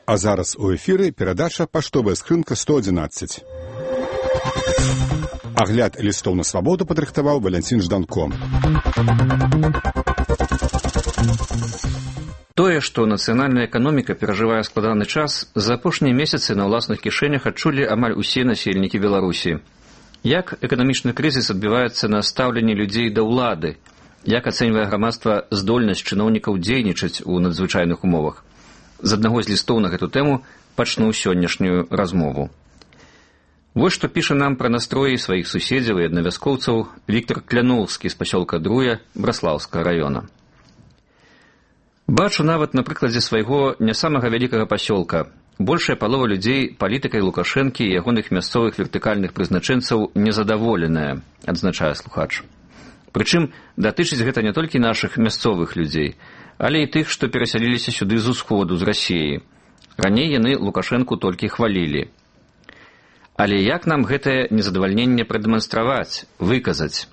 А зараз у эфіры перадача «Паштовая скрынка 111». Агляд лістоў на свабоду падрыхтаваў Валянцін Жданко. Тое, што нацыянальная эканоміка перажывае складаны час, за апошнія месяцы на ўласных кішэнях адчулі амаль усе насельнікі Беларусі. Як эканамічны крызіс адбіваецца на стаўленні людзей да ўлады? Як ацэньвае грамадства здольнасць чыноўнікаў дзейнічаць у надзвычайных умовах? З аднаго з лістоў на гэту тэму пачну сённяшнюю размову. Вось што піша нам пра настроі сваіх суседзяў і аднавяскоўцаў Віктор Кляноўскі з пасёлка Друя Браслаўскага раёна. Бачу нават на прыкладзе свайго не самага вялікага пасёлка. Большая палова людзей палітыкай Лукашэнкі і ягоных мясцовых вертыкальных прызначэнцаў незадаволеная, адзначае слухач. Прычым датычыць гэта не толькі нашых мясцовых людзей, але і тых, што перасяліліся сюды з усходу, з Расіі. Раней яны Лукашэнку толькі хвалілі. Але як нам гэтае незадавальненне прадэманстраваць, выказаць?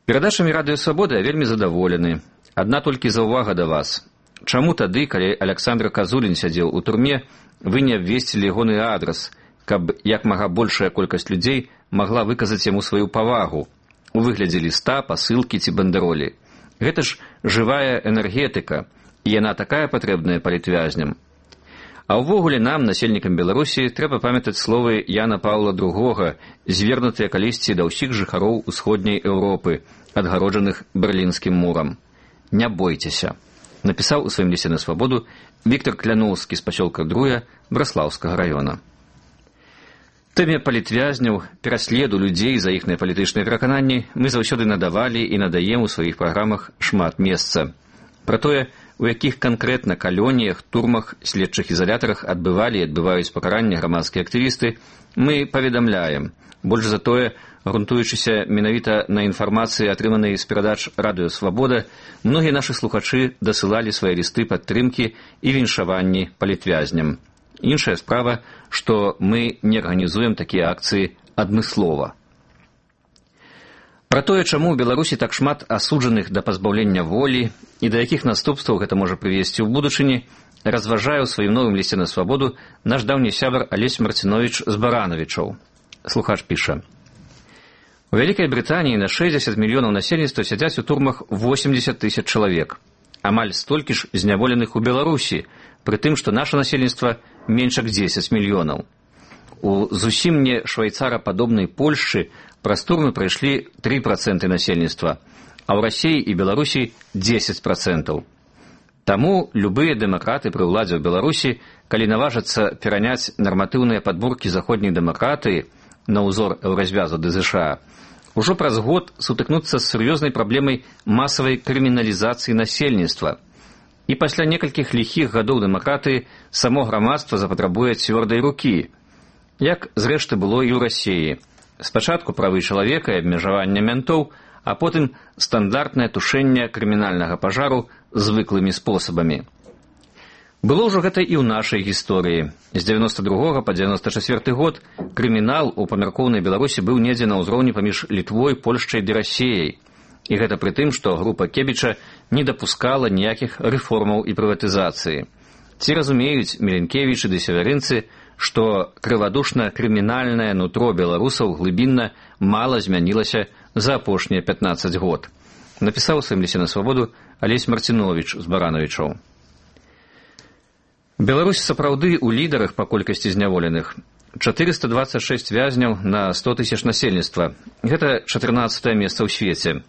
Перадачамі Радыё Свабода я вельмі задаволены. Адна толькі заўвага да вас. Чаму тады, калі Аляксандр Казулін сядзеў у турме, вы не абвесцілі ягоны адрас, каб як мага большая колькасць людзей магла выказаць яму сваю павагу у выглядзе ліста, пасылкі ці бандэролі? Гэта ж жывая энергетыка, і яна такая патрэбная палітвязням. А ўвогуле нам, насельнікам Беларусі, трэба памятаць словы Яна Паўла II, звернутыя калісьці да ўсіх жыхароў усходняй Еўропы, адгароджаных Берлінскім мурам. Не бойцеся, напісаў у сваім лісце на свабоду Віктор Кляноўскі з пасёлка Друя Браслаўскага раёна. Тэме палітвязняў, пераследу людзей за іхныя палітычныя перакананні мы заўсёды надавалі і надаем у сваіх праграмах шмат месца. Пра тое, у якіх канкрэтна калоніях, турмах, следчых ізалятарах адбывалі і адбываюць пакаранне грамадскія актывісты, мы паведамляем. Больш за тое, грунтуючыся менавіта на інфармацыі, атрыманай з перадач Радыё Свабода, многія нашы слухачы дасылалі свае лісты падтрымкі і віншаванні палітвязням. Іншая справа, што мы не арганізуем такія акцыі адмыслова. Пра тое, чаму ў Беларусі так шмат асуджаных да пазбаўлення волі і да якіх наступстваў гэта можа прывесці ў будучыні, разважае ў сваім новым лісце на свабоду наш даўні сябар Алесь Марціновіч з Баранавічаў. Слухач піша: у Вялікай Брытаніі на 60 мільёнаў насельніцтва сядзяць у турмах 80 тысяч чалавек. Амаль столькі ж зняволеных у Беларусі, пры тым, што наша насельніцтва менш як 10 мільёнаў. У зусім не швайцарападобнай Польшчы праз турмы прайшлі 3% насельніцтва, а ў Расіі і Беларусі 10%. Таму любыя дэмакраты пры ўладзе ў Беларусі, калі наважацца пераняць нарматыўныя падборкі заходняй дэмакратыі на ўзор еўразвязу ды ЗША, ужо праз год сутыкнуцца з сур'ёзнай праблемай масавай крыміналізацыі насельніцтва. І пасля некалькіх ліхіх гадоў дэмакратыі само грамадства запатрабуе цвёрдай рукі, як зрэшты было і ў Расіі. Спачатку правы чалавека і абмежавання мянтоў, а потым стандартнае тушэнне крымінальнага пажару звыклымі спосабамі. Было ўжо гэта і ў нашай гісторыі. З 92 па 94 год крымінал у памяркоўнай Беларусі быў недзе на ўзроўні паміж Літвой, Польшчай ды Расіяй. І гэта пры тым, што група Кебіча не дапускала ніякіх рэформаў і прыватызацыі. Ці разумеюць Міленкевічы ды северынцы, што крывадушна-крымінальнае нутро беларусаў глыбінна мала змянілася за апошнія 15 год. Напісаў у сваім лісце на свабоду Алесь Марціновіч з Баранавічаў. Беларусь сапраўды ў лідарах па колькасці зняволеных. 426 вязняў на 100 тысяч насельніцтва. Гэта 14-е месца ў свеце.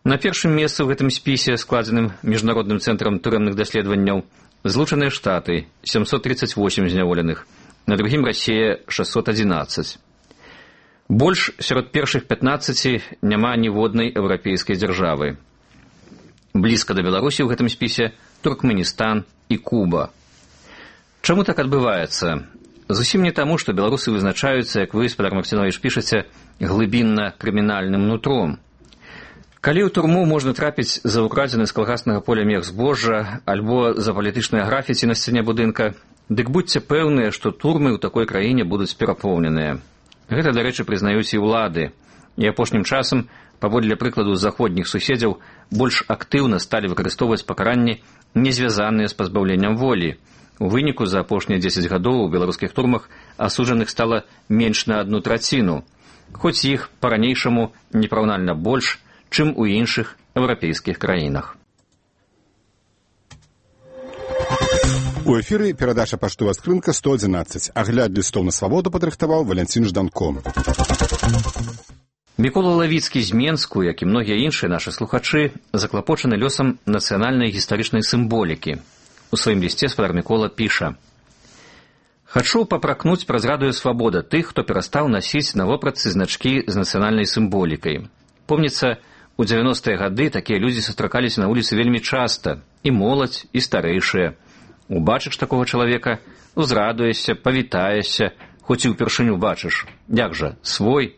На першым месцы ў гэтым спісе, складзеным Міжнародным цэнтрам турэмных даследаванняў, Злучаныя Штаты, 738 зняволеных, на другім Расія, 611. Больш сярод першых 15 няма ніводнай еўрапейскай дзяржавы. Блізка да Беларусі ў гэтым спісе Туркменістан і Куба. Чаму так адбываецца? Зусім не таму, што беларусы вызначаюцца, як вы, спадар Марціновіч, пішаце, глыбінна-крымінальным нутром. Калі ў турму можна трапіць за украдзены з калгаснага поля мех збожжа альбо за палітычнае графіці на сцяне будынка, дык будьце пэўныя, што турмы ў такой краіне будуць перапоўненыя. Гэта, дарэчы, прызнаюць і ўлады. І апошнім часам, паводле прыкладу заходніх суседзяў, больш актыўна сталі выкарыстоўваць пакаранні, не звязаныя з пазбаўленнем волі, У выніку за апошнія 10 гадоў у беларускіх турмах асуджаных стала менш на 1/3, хоць іх па-ранейшаму непараўнальна больш, чым у іншых еўрапейскіх краінах. У эфіры перадача «Паштовая скрынка» 111. Агляд лістоў на свабоду падрыхтаваў Валянцін Жданко. Мікола Лавіцкі з Менску, як і многія іншыя нашы слухачы, заклапочаны лёсам нацыянальнай гістарычнай сімволікі. У сваім лісце спадар Мікола піша: «Хачу папракнуць праз радыё «Свабода» тых, хто перастаў насіць на вопратцы значкі з нацыянальнай сімволікай. Помніцца, у 90-е гады такія людзі сустракаліся на вуліцы вельмі часта, і моладзь, і старэйшыя. Убачыш такога чалавека, узрадуешся, павітаешся, хоць і ўпершыню бачыш. Як жа, свой?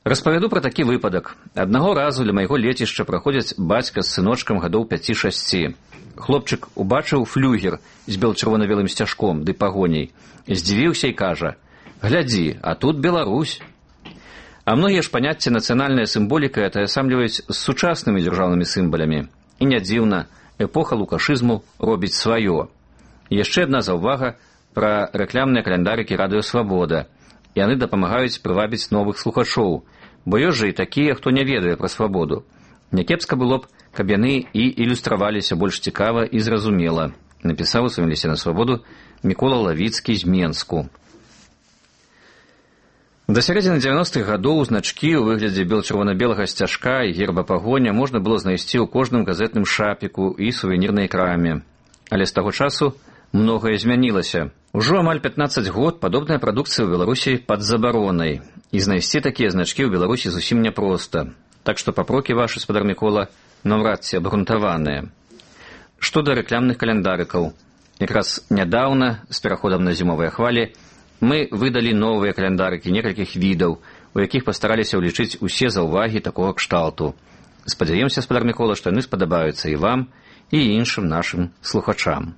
Распавяду пра такі выпадак. Аднаго разу ля майго лецішча праходзяць бацька з сыночкам гадоў 5-6. Хлопчык убачыў флюгер з бел-чырвона-белым сцяжком ды пагоняй. Здзівіўся і кажа: «Глядзі, а тут Беларусь». А многія ж паняцці нацыянальная сімволіка атаясамліваюць з сучаснымі дзяржаўнымі сімвалямі. І не дзіўна, эпоха лукашызму робіць сваё. Яшчэ адна заўвага пра рэкламныя каляндарыкі радыё «Свабода». Яны дапамагаюць прывабіць новых слухачоў, бо ёсць жа і такія, хто не ведае пра свабоду. Някепска было б, каб яны і ілюстраваліся больш цікава і зразумела, напісаў у сваім лісце на свабоду Мікола Лавіцкі з Менску. Да сярэдзіны 90-х гадоў значкі ў выглядзе бел-чырвона-белага сцяжка і герба пагоня можна было знайсці ў кожным газетным шапіку і сувенірнай краме. Але з таго часу многае змянілася. Ужо амаль 15 год падобная прадукцыя ў Беларусі пад забаронай, і знайсці такія значкі ў Беларусі зусім няпроста. Так што папрокі вашы, спадар Мікола, наўрад ці абгрунтаваныя. Што да рэкламных каляндарыкаў. Якраз нядаўна, з пераходам на зімовыя хвалі, мы выдалі новыя каляндарыкі некалькіх відаў, у якіх пастараліся ўлічыць усе заўвагі такога кшталту. Спадзяёмся, спадар Мікола, што яны спадабаюцца і вам, і іншым нашым слухачам.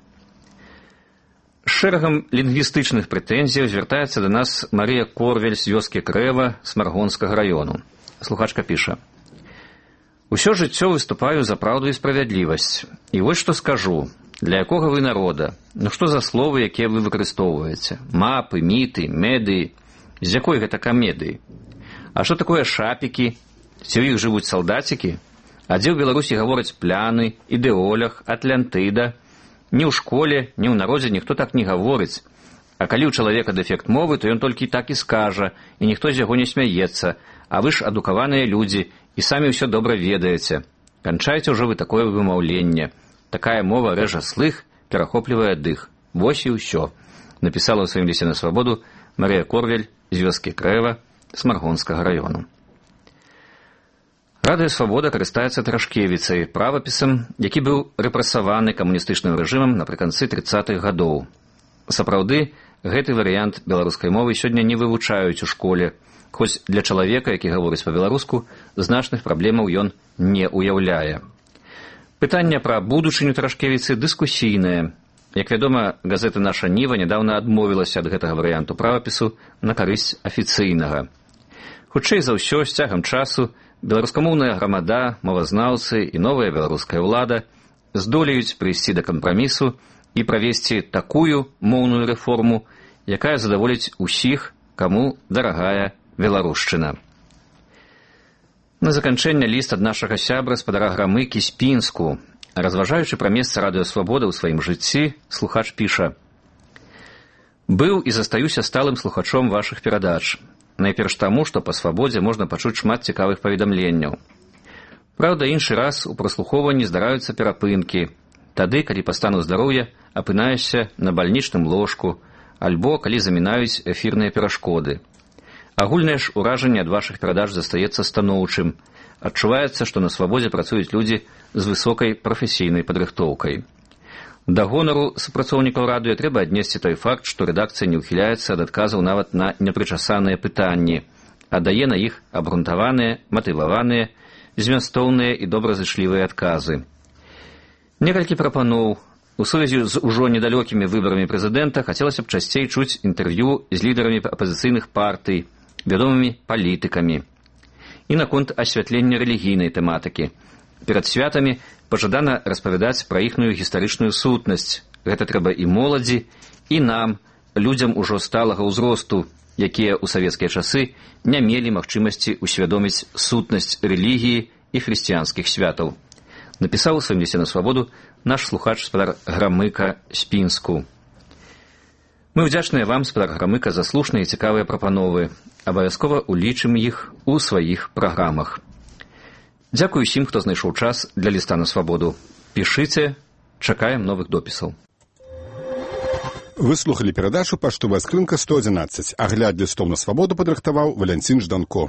З шэрагам лінгвістычных прэтэнзіяў звяртаецца да нас Марыя Корвель з вёскі Крэва Смаргонскага раёну. Слухачка піша: «Усё жыццё выступаю за праўду і справядлівасць. І вось што скажу. Для якога вы народа? Ну што за словы, якія вы выкарыстоўваеце? Мапы, міты, медыі. З якой гэта камедыі? А што такое шапікі? Ці ў іх жывуць салдацікі? А дзе ў Беларусі гавораць пляны, ідэолях, Атлантыда? Ні ў школе, ні ў народзе ніхто так не гаворыць. А калі ў чалавека дэфект мовы, то ён толькі так і скажа, і ніхто з яго не смяецца. А вы ж адукаваныя людзі, і самі ўсё добра ведаеце. Канчайце ўжо вы такое вымаўленне. Такая мова рэжа слых, перахоплівае дых. Вось і ўсё», напісала ў сваім лісце на свабоду Марыя Корвель з вёскі Крэва Смаргонскага раёну. Радыё «Свабода» карыстаецца Трашкевіцай, правапісам, які быў рэпрэсаваны камуністычным рэжымам напрыканцы 30-х гадоў. Сапраўды, гэты варыянт беларускай мовы сёння не вывучаюць у школе, хоць для чалавека, які гаворыць па-беларуску, значных праблемаў ён не ўяўляе. Пытанне пра будучыню Трашкевіцы дыскусійнае. Як вядома, газета «Наша Ніва» нядаўна адмовілася ад гэтага варыянту правапісу на карысць афіцыйнага. Хутчэй за ўсё, з цягам часу беларускамоўная грамада, мовазнаўцы і новая беларуская ўлада здолеюць прыйсці да кампрамісу і правесці такую моўную рэформу, якая задаволіць усіх, каму дарагая беларушчына. На заканчэнне ліст ад нашага сябра спадара Грамыкі з Пінску. Разважаючы пра месца радыё «Свабода» ў сваім жыцці, слухач піша: «Быў і застаюся сталым слухачом вашых перадач. Найперш таму, што па «Свабодзе» можна пачуць шмат цікавых паведамленняў. Праўда, іншы раз у праслухоўванні здараюцца перапынкі. Тады, калі па стану здароўя апынаешся на бальнічным ложку, альбо калі замінаюць эфірныя перашкоды. Агульнае ж уражанне ад вашых перадач застаецца станоўчым. Адчуваецца, што на «Свабодзе» працуюць людзі з высокай прафесійнай падрыхтоўкай. Да гонару супрацоўнікаў радыё трэба аднесці той факт, што рэдакцыя не ўхіляецца ад адказаў нават на непрычасаныя пытанні, а дае на іх абгрунтаваныя, матываваныя, змястоўныя і добразычлівыя адказы. Некалькі прапаноў. У сувязі з ужо недалёкімі выбарамі прэзідэнта хацелася б часцей чуць інтэрв'ю з лідарамі апазіцыйных партый, вядомымі палітыкамі. І наконт асвятлення рэлігійнай тэматыкі. Перад святамі пажадана распавядаць пра іхную гістарычную сутнасць, гэта трэба і моладзі, і нам, людзям ужо сталага ўзросту, якія ў савецкія часы не мелі магчымасці усвядоміць сутнасць рэлігіі і хрысціянскіх святаў. Напісаў у сваім лісце на свабоду наш слухач спадар Грамыка з Пінску. Мы ўдзячныя вам, спадар Грамыка, за слушныя і цікавыя прапановы. Абавязкова улічым іх у сваіх праграмах. Дзякую усім, хто знайшоў час для ліста на свабоду. Пішыце, чакаем новых допісаў. Вы слухалі перадачу «Паштовая скрынка 111». Агляд лістоў на свабоду падрыхтаваў Валянцін Жданко.